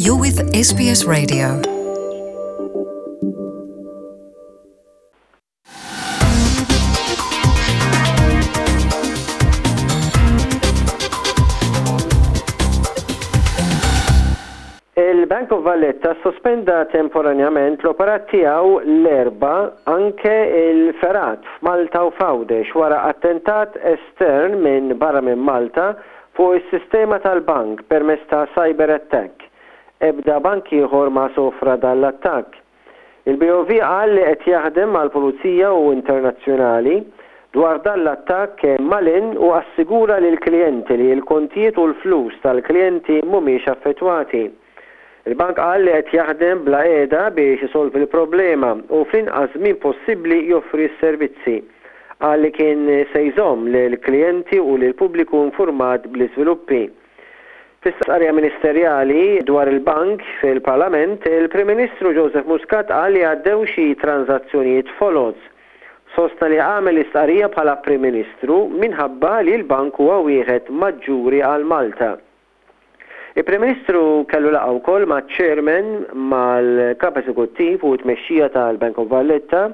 You're with SBS Radio. Il-Bank of Valletta ssospenda temporanjament l-operat tiegħu l-Erbgħa anke l-fergħat f'Malta u f'Għawdex wara attentat estern minn barra minn Malta fuq is-sistema tal-bank permezz ta' cyber attack. Ebda bank ieħor ma sofra dan l-attakk. Il-BOV qal li qed jaħdem mal-Pulizija u internazzjonali dwar dan l-attakk malinn u assigura lill-klijenti li l-kontijiet u l-flus tal-klijenti mhumiex affettwati. Il-bank qal li qed jaħdem bla qiegħda biex isolvi l-problema u fl-inqas żmien possibbli joffri s-servizzi. Qal li kien se jżomm lill-klijenti u lill-pubbliku infurmat bl-iżviluppi. Fi stqarrija ministerjali dwar il-bank fil-Parlament, il-Prim Ministru Joseph Muscat qal li għaddew xi tranżazzjonijiet foloz. Sostna li għamel l-istqarrija bħala Prim Ministru minħabba li l-bank huwa wieħed maġġuri għal Malta. Il-Prim Ministru kellu laqgħa wkoll maċ-Chairman, mal-Kap Eżekuttiv u t-tmexxija tal-Bank of Valletta,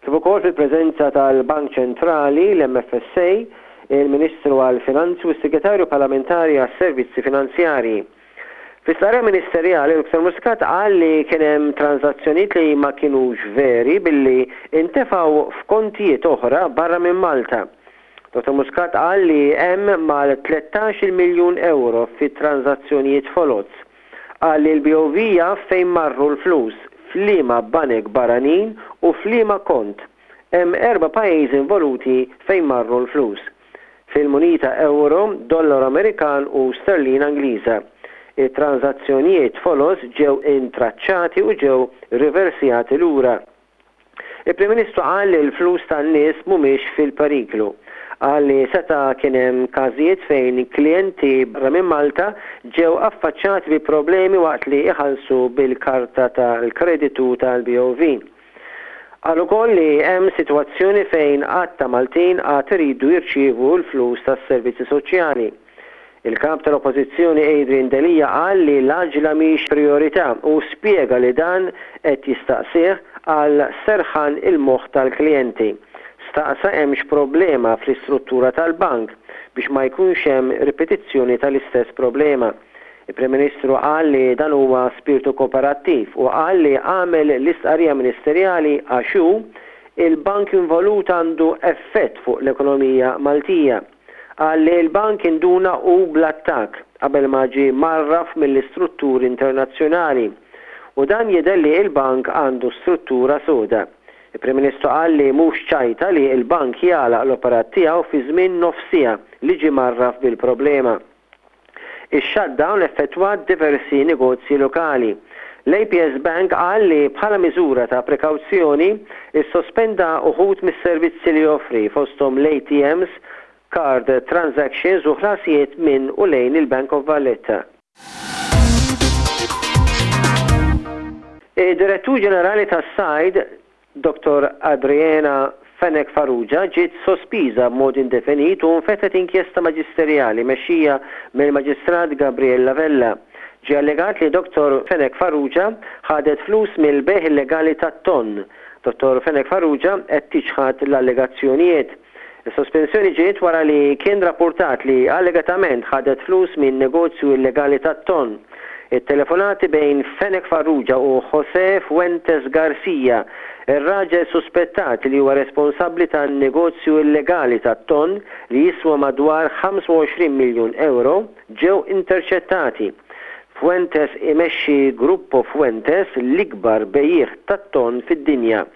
kif ukoll fil-preżenza tal-Bank Ċentrali, l-MFSA, il-Ministru għall-Finanzi u s-Segretarju Parlamentari għas-Servizzi Finanzjarji. Fi stqarrija ministerjali, Dr Muscat qal li kien hemm tranżazzjonijiet li ma kinux veri billi intefgħu f'kontijiet oħra barra minn Malta. Dottor Muscat qal li hemm mal-tlettax-il miljun ewro fi tranżazzjonijiet foloz. Qal li l-BOV jaf fejn marru l-flus, f'liema banek barranin u f'liema kont. Hemm erba' pajjiżi involuti fejn marru l-flus. Fil-munita ewro, dollaru Amerikan u sterlina Ingliża. It-tranżazzjonijiet foloz ġew intraċċati u ġew riversjati lura. Il-Prim Ministru qal li l-flus tan-nies mhumiex fil-periklu. Qal li seta' kien hemm każijiet fejn klijenti barra minn Malta ġew affaċċati bi problemi waqt li iħallsu bil-karta tal-kreditu tal-BOV. Qal ukoll li hemm sitwazzjoni fejn għadd ta' Maltin għad iridu jirċievu l-flus tas-servizzi soċjali. Il-Kap tal-Oppożizzjoni Adrian Delia qal li l-għaġla mhix prijorità u spjega li dan qed jistaqsih għal serħan il-moħħ tal-klijenti. Staqsa hemmx problema fl-istruttura tal-bank biex ma jkunx hemm ripetizzjoni tal-istess problema. Il-Prim Ministru qal li dan huwa spirtu kooperattiv u qal li għamel l-istqarrija ministerjali għax hu, il-bank involut għandu effett fuq l-ekonomija Maltija. Qal li l-bank induna hu bl-attakk qabel ma ġie mgħarraf mill-istrutturi internazzjonali u dan jidher li l-bank għandu struttura soda. Il-Prim Ministru qal li mhux ċajta li l-bank jagħlaq l-operat tiegħu fi żmien nofs siegħa li ġie mgħarraf bil-problema. Ix-shutdown effettwat diversi negozji lokali. L-APS Bank qal li bħala miżura ta' prekawzjoni ssospenda uħud mis-servizzi li joffri fosthom l-ATMs, card transactions u ħlasijiet minn u lejn il-Bank of Valletta. Id-Direttur Ġenerali tas-Sajd, Dottor Adriana Fenech Farrugia ġiet sospiża b'mod indefinit u nfetħet inkjesta maġisterjali mexxija mill-Maġistrat Gabriella Vella. Ġie allegat li Dottor Fenech Farrugia ħadet flus mill-bejgħ illegali tat-tonn. Dottor Fenech Farrugia qed tiċħad l-allegazzjonijiet. Is-sospensjoni ġiet wara li kien rappurtat li allegatament ħadet flus minn negozju illegali tat-tonn. It-telefonati bejn Fenech Farrugia u José Fuentes Garcia, ir-raġel suspettat li huwa responsabbli tan-negozju illegali tat-tonn li jiswa madwar 25 miljun ewro, ġew interċettati. Fuentes imexxi Gruppo Fuentes, l-ikbar bejjiegħ tat-tonn fid-dinja.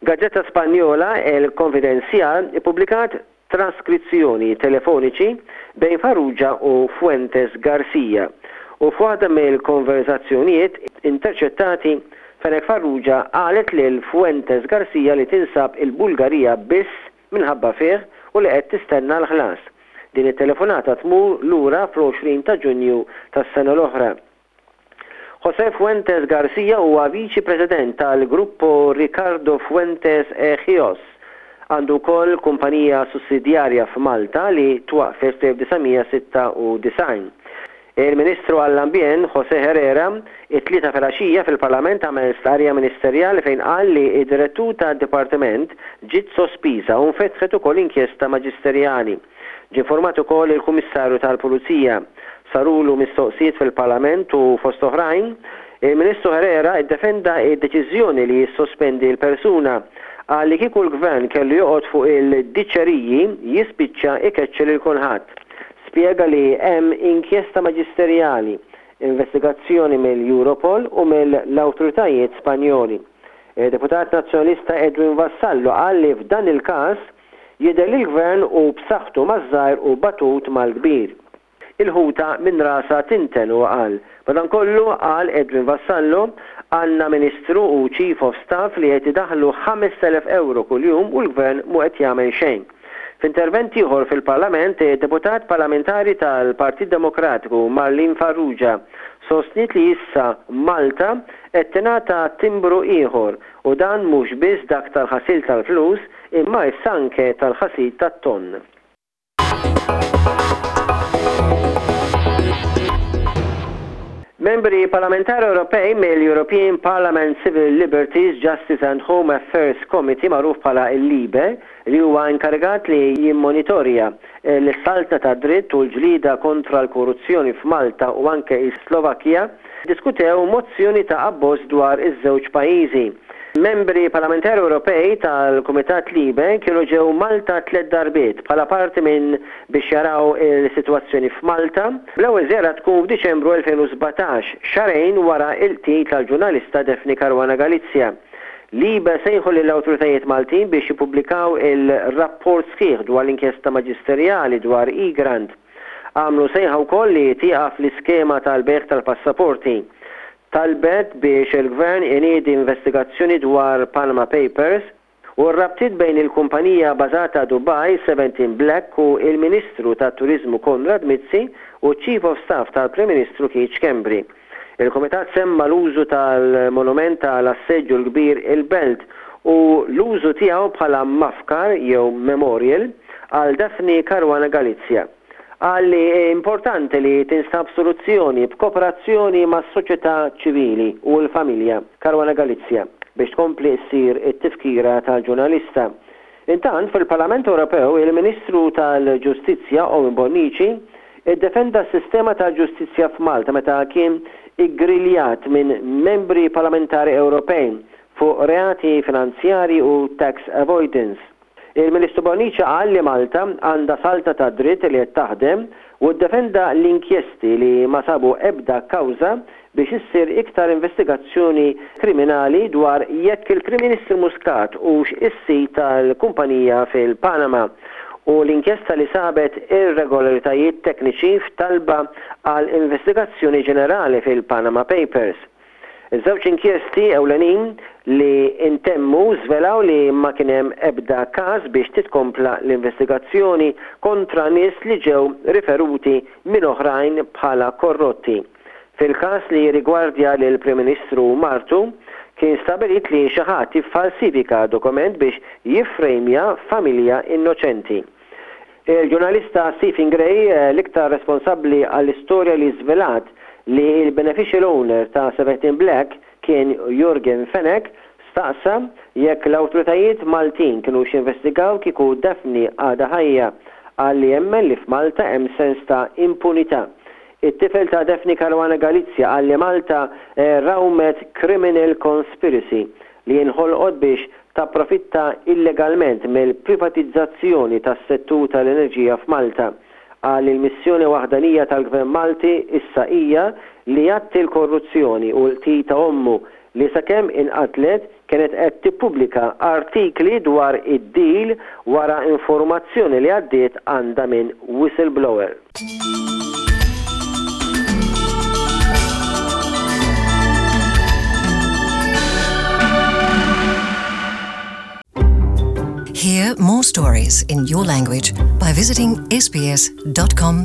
Gazzetta Spanjola El Confidencial ippubblikat traskrizzjoni telefoniċi bejn Farrugia u Fuentes Garcia u f'waħda mill-konverżazzjonijiet interċettati Fenech Farrugia qalet lil Fuentes Garcia li tinsab il-Bulgarija biss minħabba fih u li qed tistenna l-ħlas. Din it-telefonata tmur lura fl-20 ta' Ġunju tas-sena l-oħra. José Fuentes García huwa Viċi President tal-Gruppo Ricardo Fuentes e Gios. Għandu wkoll kumpanija sussidjarja f'Malta li twaqqfet fl-1996. Il-Ministru għall-Ambjent, José Herrera, it-Tlieta filgħaxija fil-Parlament għamel stqarrija ministerjali fejn qal li d-Direttur tad-Dipartiment ġiet sospiża u nfetħet ukoll inkjesta maġisterjali. Ġie informat ukoll il-Kummissarju tal-Pulizija. Sarulu mistoqsijiet fil-Parlament u, fost oħrajn, il-Ministru Herrera ddefenda d-deċiżjoni li jissospendi l-persuna. Qal li kieku l-Gvern kellu joqgħod fuq il-diċeriji jispiċċa ikeċċi lil kulħadd. Spjega li hemm inkjesta maġisterjali, investigazzjoni mill-Europol u mill-awtoritajiet Spanjoli. Id-Deputat Nazzjonalista Edwin Vassallo qal li f'dan il-każ, Jidher li l-Gvern hu b'saħħtu maż-żgħir u batut mal-kbir. Il-ħuta minn rasha tinten, huwa qal. Madankollu, qal Edwin Vassallo, għandna Ministru u Chief of Staff li qed idaħħlu 5,000 ewro kuljum u l-Gvern mhu qed jagħmel xejn. F'intervent ieħor fil-Parlament, id-Deputat Parlamentari tal-Partit Demokratiku Marlene Farrugia sostniet li issa Malta qed tingħata timbru ieħor u dan mhux biss dak tal-ħasil tal-flus imma issa anke tal-ħasil tat-tonn. Membri Parlamentari Ewropej mill-European Parliament Civil Liberties, Justice and Home Affairs Committee magħruf bħala l-LIBE, li huwa inkarigat li jimmonitorja l-saltna tad-dritt u l-ġlieda kontra l-korruzzjoni f'Malta u anke s-Slovakkja, ddiskutew mozzjoni ta' abbożż dwar iż-żewġ pajjiżi. Membri Parlamentari Ewropej tal-Kumitat LIBE kienu ġew Malta tlett darbiet bħala parti minn biex jaraw il-sitwazzjoni f'Malta, bl-ewwel żjara tkun f'Diċembru 2017, xahrejn wara l-qtil tal-ġurnalista Daphne Caruana Galizia. LIBE sejħu lill-awtoritajiet Maltin biex jippubblikaw il-rapport sħiħ dwar l-inkjesta maġisterjali dwar Egrant. Għamlu sejħa wkoll li tieqaf l-iskema tal-bejgħ tal-passaporti. Talbet biex il-Gvern iniedi investigazzjoni dwar Panama Papers u r-rabtiet bejn il-kumpanija bażata Dubai, Seventeen Black u il-Ministru tat-Turiżmu Konrad Mizzi u ċ-Chief of Staff tal-Prim Ministru Keith Schembri. Il-Kumitat semma l-użu tal-monument ta' l-Assedju l-Kbir il-Belt u l-użu tiegħu bħala mafkar jew memorial għal Daphne Caruana Galizia. Qal li importanti li tinstab soluzzjoni b'koperazzjoni mas-soċjetà ċivili u l-familja Caruana Galizia biex tkompli ssir it-tifkira tal-ġurnalista. Intant, fil-Parlament Ewropew, il-Ministru tal-Ġustizzja Owen Bonnici ddefenda s-sistema tal-ġustizzja f'Malta meta kien iggriljat minn membri parlamentari Ewropej fuq reati finanzjarji u tax avoidance. Il-Ministru Bonnici qal li Malta għandha saltna tad-dritt li qed taħdem u ddefenda l-inkjesti li ma sabu ebda kawża biex issir iktar investigazzjoni kriminali dwar jekk il-Prim Ministru Muscat hux is-sid tal-kumpanija fil-Panama u l-inkjesta li sabet irregolaritajiet tekniċi f'talba għal investigazzjoni ġenerali fil-Panama Papers. Iż-żewġ inkjesti ewlenin li ntemmu żvelaw li ma kien hemm ebda każ biex titkompla l-investigazzjoni kontra nies li ġew riferuti minn oħrajn bħala korrotti. Fil-każ li jirrigwardja lill-Prim Ministru u martu, kien stabbilit li xi ħadd iffalsifika dokument biex jiffrejmja familja innoċenti. Il-ġurnalista Stephen Gray, l-iktar responsabbli għall-istorja li żvelat li l-beneficial owner ta' 17 Black kien Yorgen Fenech, staqsa jekk l-awtoritajiet Maltin kinux jinvestigaw kieku Daphne għadha ħajja. Qal li jemmen li f'Malta hemm sens ta' impunità. It-tifel ta' Daphne Caruana Galizia qal li Malta rawmet criminal conspiracy li inħolqot biex tapprofitta illegalment mill-privatizzazzjoni tas-settur tal-enerġija f'Malta. Qal li l-missjoni waħdanija tal-Gvern Malti issa hija li jgħatti l-korruzzjoni u l-qtil ta' ommu li sakemm inqatlet kienet qed tippubblika artikli dwar id-deal wara informazzjoni li għaddiet għandha minn whistleblower. Hear more stories in your language by visiting sbs.com.au.